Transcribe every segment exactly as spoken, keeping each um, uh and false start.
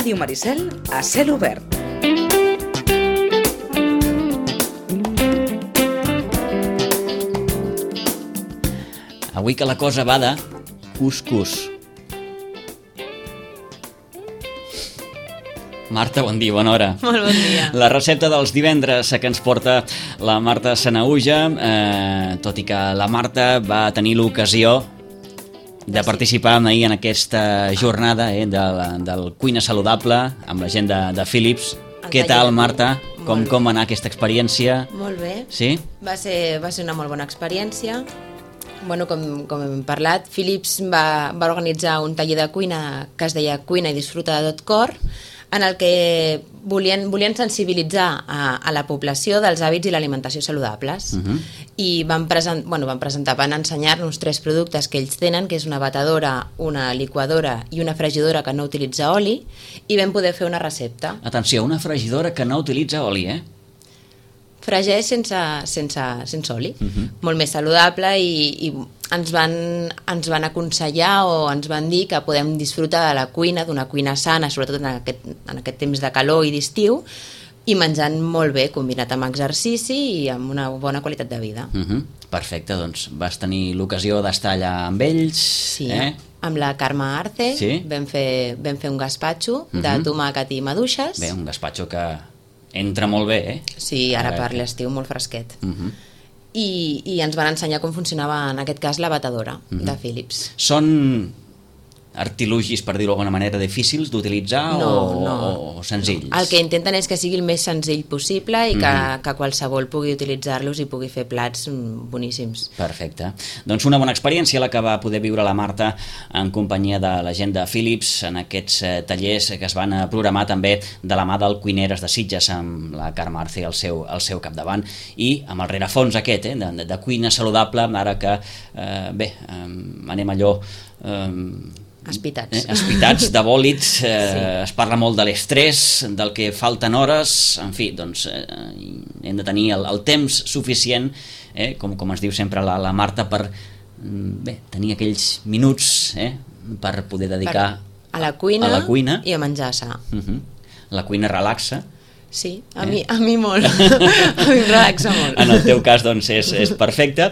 Ràdio Maricel a cel obert. Avui que la cosa va de cuscús. Marta, bon dia, bona hora. Molt bon dia. La recepta dels divendres que ens porta la Marta Sanahuja, eh, tot i que la Marta va tenir l'ocasió de participar ahir en aquesta jornada eh, del, del Cuina Saludable amb la gent de, de Philips. El Què tal, Marta? Com, Molt com va anar aquesta experiència? Molt bé. Sí? Va ser, va ser una molt bona experiència. Bueno, com, com hem parlat, Philips va, va organitzar un taller de cuina que es deia Cuina i disfruta de tot cor, en el que volien, volien sensibilitzar a, a la població dels hàbits i l'alimentació saludables. Uh-huh. I van, present, bueno, van presentar, van ensenyar-nos tres productes que ells tenen, que és una batedora, una liquadora i una fregidora que no utilitza oli, i vam poder fer una recepta. Atenció, una fregidora que no utilitza oli, eh? Fregeix sense, sense, sense oli, uh-huh. molt més saludable, i, i ens, van, ens van aconsellar o ens van dir que podem disfrutar de la cuina, d'una cuina sana, sobretot en aquest, en aquest temps de calor i d'estiu, i menjant molt bé, combinat amb exercici i amb una bona qualitat de vida. Uh-huh. Perfecte, doncs vas tenir l'ocasió d'estar allà amb ells. Sí, eh? amb la Carme Arce, sí? vam, fer, vam fer un gaspatxo uh-huh. de tomàquet i maduixes. Bé, un gaspatxo que entra molt bé, eh? Sí, ara per l'estiu molt fresquet. Uh-huh. I, i ens van ensenyar com funcionava, en aquest cas, la batedora uh-huh. de Philips. Són artilugis, per dir-ho d'alguna manera, difícils d'utilitzar no, o, no. o senzills? El que intenten és que sigui el més senzill possible i que, uh-huh. que qualsevol pugui utilitzar-los i pugui fer plats boníssims. Perfecte. Doncs una bona experiència la que va poder viure la Marta en companyia de la gent de Philips en aquests eh, tallers que es van programar també de la mà del Cuineres de Sitges amb la Carme Arce al seu, al seu capdavant i amb el rerefons aquest eh, de, de cuina saludable, ara que eh, bé, eh, anem allò eh, Espitats. Eh, espitats, de bòlids, eh, sí. Es parla molt de l'estrès, del que falten hores, en fi, doncs eh, hem de tenir el, el temps suficient, eh, com, com ens diu sempre la, la Marta, per bé, tenir aquells minuts eh, per poder dedicar per a, la cuina a la cuina i a menjar sa. Uh-huh. La cuina relaxa. Sí, a, eh? mi, a mi molt, a mi em relaxa molt. En el teu cas, doncs, és, és perfecte.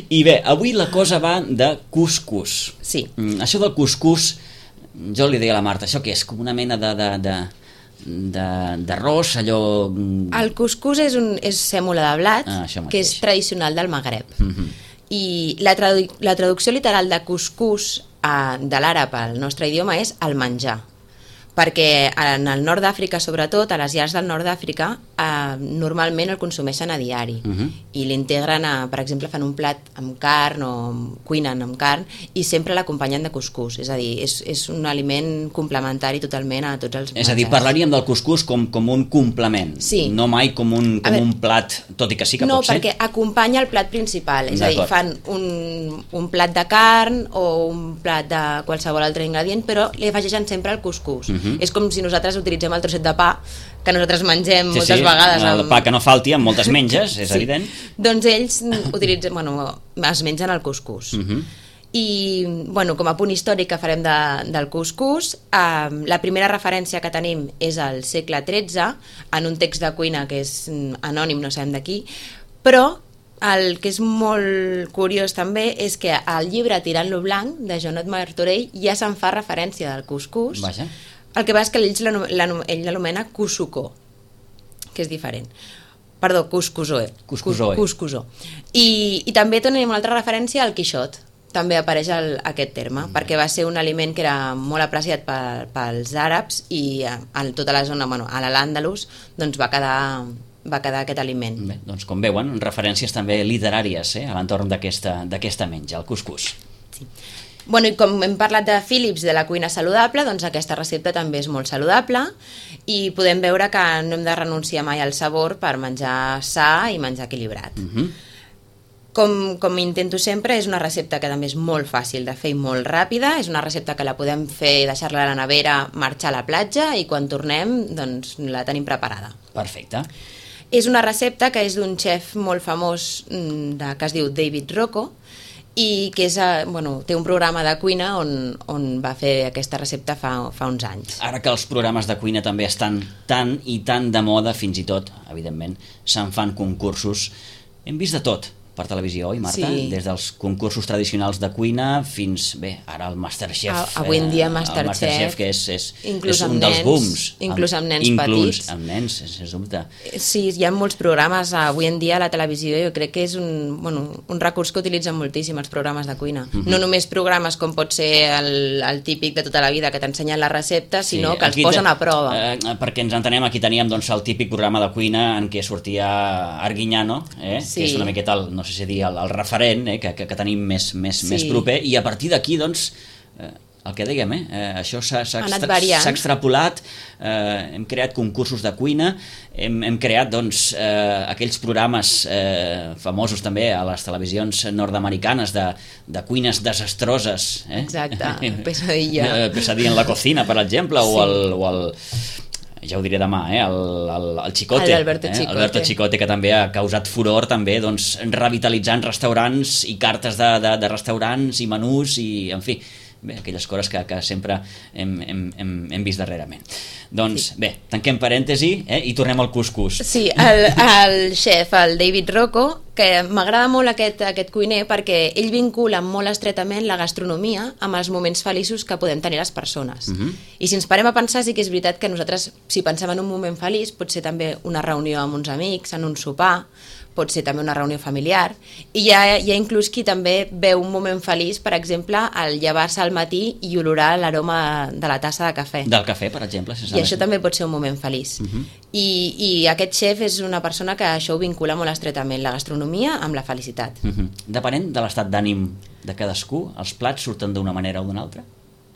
I bé, avui la cosa va de cuscús. Sí. Mm, això del cuscús, jo li deia a la Marta, això què és? Com una mena de... de, de d'arròs, allò... El cuscús és, un, és sèmola de blat, ah, que és tradicional del Magreb. Uh-huh. I la, tradu la traducció literal de cuscús uh, de l'àrab al nostre idioma és el menjar. Perquè en el nord d'Àfrica, sobretot, a les llars del nord d'Àfrica, eh, normalment el consumeixen a diari. Uh-huh. I l'integren, a, per exemple, fan un plat amb carn o cuinen amb carn i sempre l'acompanyen de cuscús. És a dir, és, és un aliment complementari totalment a tots els menjars. És a dir, parlaríem del cuscús com, com un complement, sí. no mai com, un, com veure, un plat, tot i que sí que no, pot ser. No, perquè acompanya el plat principal. És a dir, fan un, un plat de carn o un plat de qualsevol altre ingredient, però li afegeixen sempre el cuscús. Uh-huh. És com si nosaltres utilitzem el trosset de pa que nosaltres mengem sí, moltes sí, vegades. El amb... pa que no falti, amb moltes menges, és sí. evident. Doncs ells utilitzen, bueno, es mengen el cuscús. Uh-huh. I, bueno, com a punt històric que farem de, del cuscús, eh, la primera referència que tenim és al segle tretze, en un text de cuina que és anònim, no sabem de qui, però el que és molt curiós també és que al llibre Tirant-lo blanc, de Joanot Martorell, ja se'n fa referència del cuscús. Vaja. El que va és que ell l'anomena cuscucó, que és diferent. Perdó, cuscusó. Cuscusó. Cuscusó. I, I també tenim una altra referència al Quixot. També apareix el, aquest terme, mm. perquè va ser un aliment que era molt apreciat per, pels àrabs i en tota la zona, bueno, a l'Àndalus, doncs va quedar... va quedar aquest aliment. Bé, doncs com veuen, referències també literàries eh, a l'entorn d'aquesta menja, el cuscús. Sí. Bueno, i com hem parlat de Philips, de la cuina saludable, doncs aquesta recepta també és molt saludable i podem veure que no hem de renunciar mai al sabor per menjar sa i menjar equilibrat. Uh-huh. Com, com intento sempre, és una recepta que també és molt fàcil de fer i molt ràpida, és una recepta que la podem fer, deixar-la a la nevera, marxar a la platja i quan tornem doncs la tenim preparada. Perfecte. És una recepta que és d'un xef molt famós de, que es diu David Rocco i que és, eh, bueno, té un programa de cuina on, on va fer aquesta recepta fa, fa uns anys. Ara que els programes de cuina també estan tan i tan de moda, fins i tot, evidentment, se'n fan concursos. Hem vist de tot per televisió, oi, Marta? Sí. Des dels concursos tradicionals de cuina fins, bé, ara el Masterchef. A, avui en dia Masterchef, el Masterchef que és, és, inclús és un amb dels nens, booms. inclús amb nens inclús petits. amb nens, sens dubte. Sí, hi ha molts programes avui en dia a la televisió, jo crec que és un, bueno, un recurs que utilitzen moltíssim els programes de cuina. Uh-huh. No només programes com pot ser el, el típic de tota la vida que t'ensenyen la recepta, sinó sí, que els posen a prova. Eh, perquè ens entenem, aquí teníem doncs, el típic programa de cuina en què sortia Arguiñano, eh, sí. que és una miqueta, el, no sé si dir, el, el referent eh, que, que, que tenim més, més, sí. més proper, i a partir d'aquí, doncs, eh, el que dèiem, eh, eh, això s'ha extra, extrapolat, eh, hem creat concursos de cuina, hem, hem creat doncs, eh, aquells programes eh, famosos també a les televisions nord-americanes de, de cuines desastroses. Eh? Exacte, pesadilla. Pesadilla en la cocina, per exemple, sí. o el... O el ja ho diré demà, eh? el, el, el Chicote, el Alberto eh? Chicote. Alberto Chicote, que també ha causat furor, també, doncs, revitalitzant restaurants i cartes de, de, de restaurants i menús i, en fi, bé, aquelles coses que, que sempre hem, hem, hem, hem vist darrerament. Doncs, sí. bé, tanquem parèntesi eh? i tornem al cuscús. Sí, el, el xef, el David Rocco, que m'agrada molt aquest, aquest cuiner perquè ell vincula molt estretament la gastronomia amb els moments feliços que podem tenir les persones. Uh-huh. I si ens parem a pensar, sí que és veritat que nosaltres, si pensem en un moment feliç, pot ser també una reunió amb uns amics, en un sopar, pot ser també una reunió familiar, i hi ha, hi ha inclús qui també veu un moment feliç, per exemple, al llevar-se al matí i olorar l'aroma de la tassa de cafè. Del cafè, per exemple. Si I això també pot ser un moment feliç. Uh-huh. I, I aquest xef és una persona que això ho vincula molt estretament, la gastronomia amb la felicitat. Uh-huh. Depenent de l'estat d'ànim de cadascú, els plats surten d'una manera o d'una altra?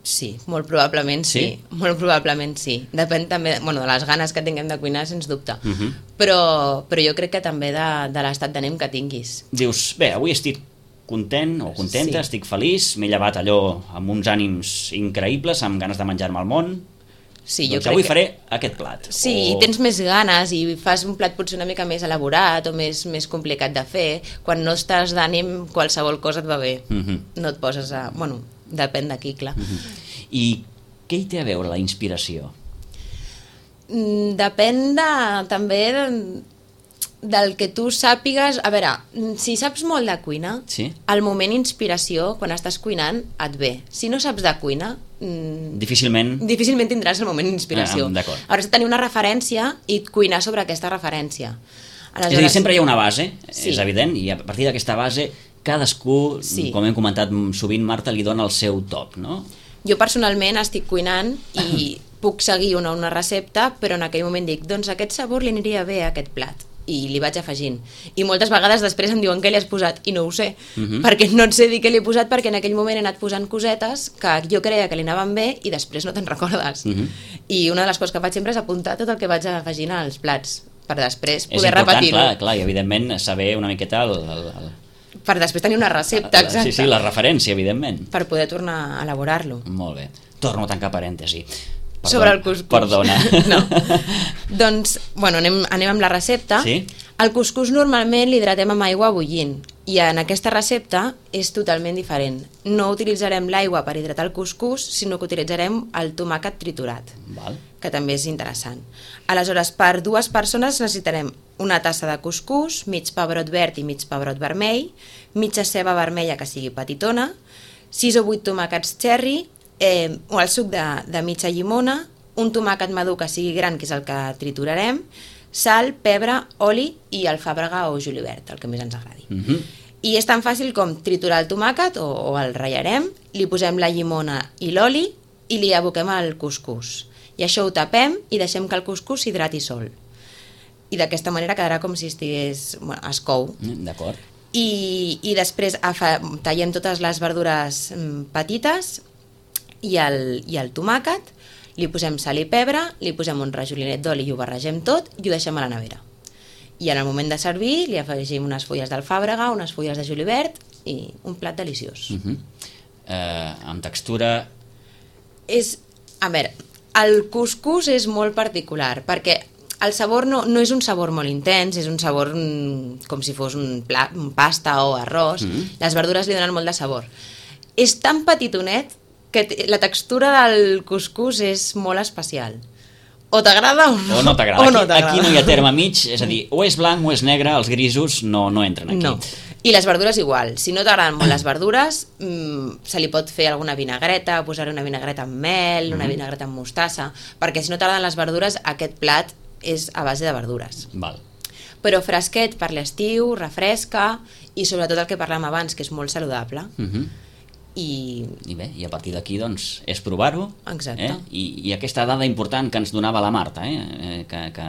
Sí, molt probablement sí, sí. molt probablement sí. Depèn també bueno, de les ganes que tinguem de cuinar, sens dubte. Uh-huh. però, però jo crec que també de, de l'estat d'ànim que tinguis. Dius, bé, avui estic content o contenta, sí. estic feliç, m'he llevat allò amb uns ànims increïbles, amb ganes de menjar-me al món. Sí, doncs jo avui que... faré aquest plat. Sí, o... i tens més ganes i fas un plat potser una mica més elaborat o més, més complicat de fer. Quan no estàs d'ànim, qualsevol cosa et va bé. Uh-huh. No et poses a... Bueno, depèn d'aquí, clar. Uh-huh. I què hi té a veure la inspiració? Mm, depèn de, també de, del que tu sàpigues. A veure, si saps molt de cuina, sí? el moment inspiració, quan estàs cuinant, et ve. Si no saps de cuina... Mm, difícilment... Difícilment tindràs el moment d'inspiració. Ah, d'acord. Hauràs de tenir una referència i cuinar sobre aquesta referència. Aleshores... És a dir, sempre hi ha una base, sí. és evident, i a partir d'aquesta base cadascú, sí. com hem comentat sovint, Marta, li dona el seu toc, no? Jo personalment estic cuinant i puc seguir una, una recepta, però en aquell moment dic, doncs aquest sabor li aniria bé a aquest plat, i li vaig afegint. I moltes vegades després em diuen què li has posat, i no ho sé, uh-huh. perquè no et sé dir què li he posat, perquè en aquell moment he anat posant cosetes que jo creia que li anaven bé i després no te'n recordes. Uh-huh. I una de les coses que faig sempre és apuntar tot el que vaig afegint als plats, per després poder repetir-ho. Clar, clar, i evidentment saber una miqueta el... el, el... Per després tenir una recepta, exacta. Sí, sí, la referència, evidentment. Per poder tornar a elaborar-lo. Molt bé. Torno a tancar parèntesi. Perdona, sobre el cuscús. Perdona. No. Doncs, bueno, anem, anem amb la recepta. Sí? El cuscús normalment l'hidratem amb aigua bullint i en aquesta recepta és totalment diferent. No utilitzarem l'aigua per hidratar el cuscús, sinó que utilitzarem el tomàquet triturat, Val. que també és interessant. Aleshores, per dues persones necessitarem una tassa de cuscús, mig pebrot verd i mig pebrot vermell, mitja ceba vermella que sigui petitona, sis o vuit tomàquets cherry, eh, o el suc de, de mitja llimona, un tomàquet madur que sigui gran, que és el que triturarem, sal, pebre, oli i alfàbrega o julivert, el que més ens agradi. Uh-huh. I és tan fàcil com triturar el tomàquet, o, o el ratllarem, li posem la llimona i l'oli i li aboquem al cuscús. I això ho tapem i deixem que el cuscús s'hidrati sol. I d'aquesta manera quedarà com si estigués... Bueno, es cou. D'acord. I, i després afa, tallem totes les verdures petites i el, i el tomàquet, li posem sal i pebre, li posem un rajolinet d'oli i ho barregem tot i ho deixem a la nevera. I en el moment de servir li afegim unes fulles d'alfàbrega, unes fulles de julivert i un plat deliciós. Uh-huh. eh, amb textura... És, a veure, el cuscús és molt particular perquè el sabor no, no és un sabor molt intens, és un sabor mm, com si fos un, pla, un pasta o arròs. Mm. Les verdures li donen molt de sabor. És tan petitonet que la textura del cuscús és molt especial. O t'agrada o no. O no t'agrada. Aquí, no aquí no hi ha terme mig, és a dir, o és blanc o és negre, els grisos no, no entren aquí. No. I les verdures igual. Si no t'agraden molt les verdures, mmm, se li pot fer alguna vinagreta, posar una vinagreta amb mel, una mm. vinagreta amb mostassa, perquè si no t'agraden les verdures, aquest plat és a base de verdures. Val. Però fresquet per l'estiu, refresca, i sobretot el que parlàvem abans, que és molt saludable. Mhm. I... I bé, i a partir d'aquí doncs és provar-ho. Exacte. Eh? I, I aquesta dada important que ens donava la Marta, eh? eh que, que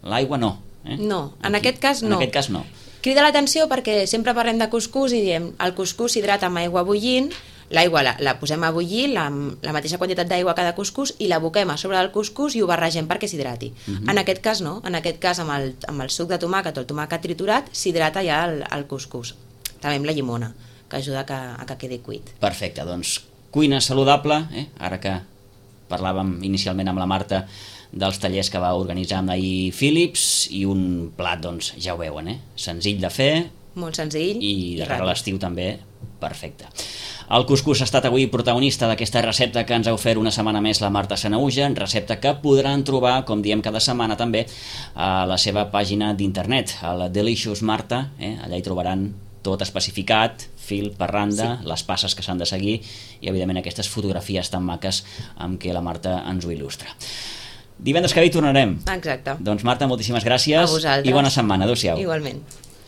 l'aigua no. Eh? No, en Aquí, aquest cas no. En aquest cas no. Crida l'atenció perquè sempre parlem de cuscús i diem el cuscús s'hidrata amb aigua bullint, l'aigua la, la posem a bullir, la, la mateixa quantitat d'aigua cada cuscús, i l'aboquem a sobre del cuscús i ho barregem perquè s'hidrati. Uh-huh. En aquest cas no, en aquest cas amb el, amb el suc de tomàquet o el tomàquet triturat s'hidrata ja el, el cuscús. També amb la llimona, que ajuda a que, a que quedi cuit. Perfecte, doncs cuina saludable, eh? Ara que parlàvem inicialment amb la Marta dels tallers que va organitzar amb ahir Philips, i un plat, doncs, ja ho veuen, eh? Senzill de fer. Molt senzill. I de i cara a ràpid. l'estiu també, perfecte. El cuscús ha estat avui protagonista d'aquesta recepta que ens ha ofert una setmana més la Marta Sanahuja, recepta que podran trobar, com diem cada setmana també, a la seva pàgina d'internet, a la Delicious Marta, eh? Allà hi trobaran tot especificat, fil per randa, sí. Les passes que s'han de seguir i, evidentment, aquestes fotografies tan maques amb què la Marta ens ho il·lustra. Divendres que ve hi tornarem. Exacte. Doncs, Marta, moltíssimes gràcies. A vosaltres. I bona setmana. Adéu-siau. Igualment.